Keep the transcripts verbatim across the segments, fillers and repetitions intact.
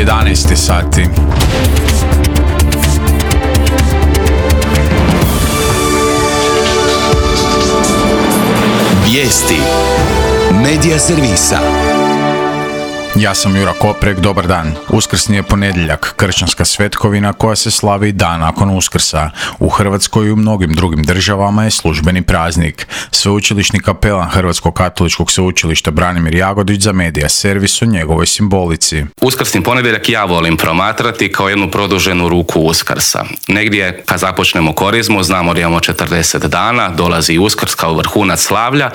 jedanaest sati. Vijesti Medija servisa. Ja sam Jura Koprek, dobar dan. Uskrsni je ponedjeljak, kršćanska svetkovina koja se slavi dan nakon Uskrsa. U Hrvatskoj i u mnogim drugim državama je službeni praznik. Sveučilišni kapelan Hrvatskog katoličkog sveučilišta Branimir Jagodić za Medija servis o njegovoj simbolici. Uskrsni ponedjeljak ja volim promatrati kao jednu produženu ruku Uskrsa. Negdje kad započnemo korizmu, znamo da imamo četrdeset dana, dolazi Uskrs kao vrhunac slavlja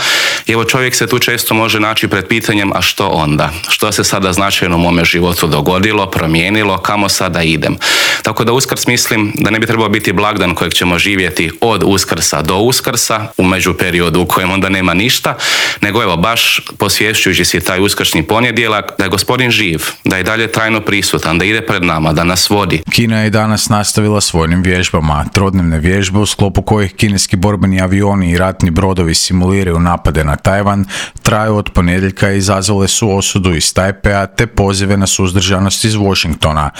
i evo čovjek se tu često može naći pred pitanjem a što onda? Što se sada značajno u mome životu dogodilo, promijenilo, kamo sada idem. Tako da Uskrs mislim da ne bi trebao biti blagdan kojeg ćemo živjeti od Uskrsa do Uskrsa, u međuperiodu u kojem onda nema ništa, nego evo baš posvješćujući si taj uskrsni ponedjeljak da je Gospodin živ, da je dalje trajno prisutan, da ide pred nama, da nas vodi. Kina je danas nastavila s vojnim vježbama. Trodnevne vježbe u sklopu kojih kineski borbeni avioni i ratni brodovi simuliraju napade na Tajvan traju od ponedjeljka i izazvale su osudu iz Tajpea te pozive na suzdržanost iz Washingtona.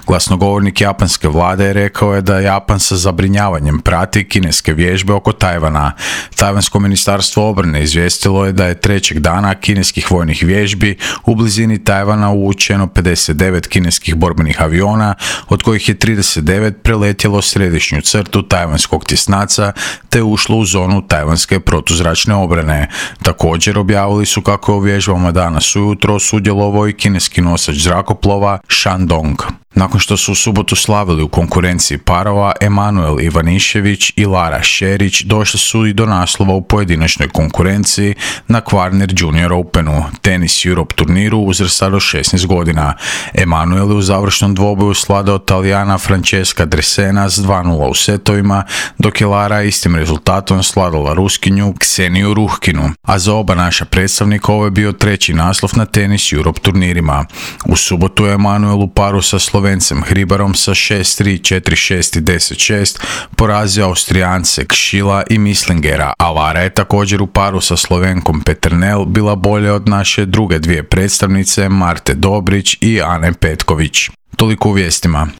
Glasnogovornik japanske vlade je rekao je da Japan sa zabrinjavanjem prati kineske vježbe oko Tajvana. Tajvansko ministarstvo obrane izvijestilo je da je trećeg dana kineskih vojnih vježbi u blizini Tajvana uvučeno pedeset devet kineskih borbenih aviona, od kojih je trideset devet preletjelo središnju crtu tajvanskog tjesnaca te ušlo u zonu tajvanske protuzračne obrane. Također objavili su kako je u vježbama danas ujutro sudjelovao i kineski nosač zrakoplova Shandong. Nakon što su u subotu slavili u konkurenciji parova, Emanuel Ivanišević i Lara Šerić došli su i do naslova u pojedinačnoj konkurenciji na Kvarner Junior Openu, tenis Europe turniru uzrasta do šesnaest godina. Emanuel je u završnom dvoboju sladao Talijana Francesca Dresena s dva nula u setovima, dok je Lara istim rezultatom sladala Ruskinju Kseniju Ruhkinu, a za oba naša predstavnika ovo je bio treći naslov na tenis Europe turnirima. U subotu je Emanuel u paru sa Slovencem Hribarom sa šest tri, četiri šest i deset šest porazio Austrijance Kšila i Mislingera, a Lara je također u paru sa Slovenkom Peternel bila bolja od naše druge dvije predstavnice Marte Dobrić i Ane Petković. Toliko u vijestima.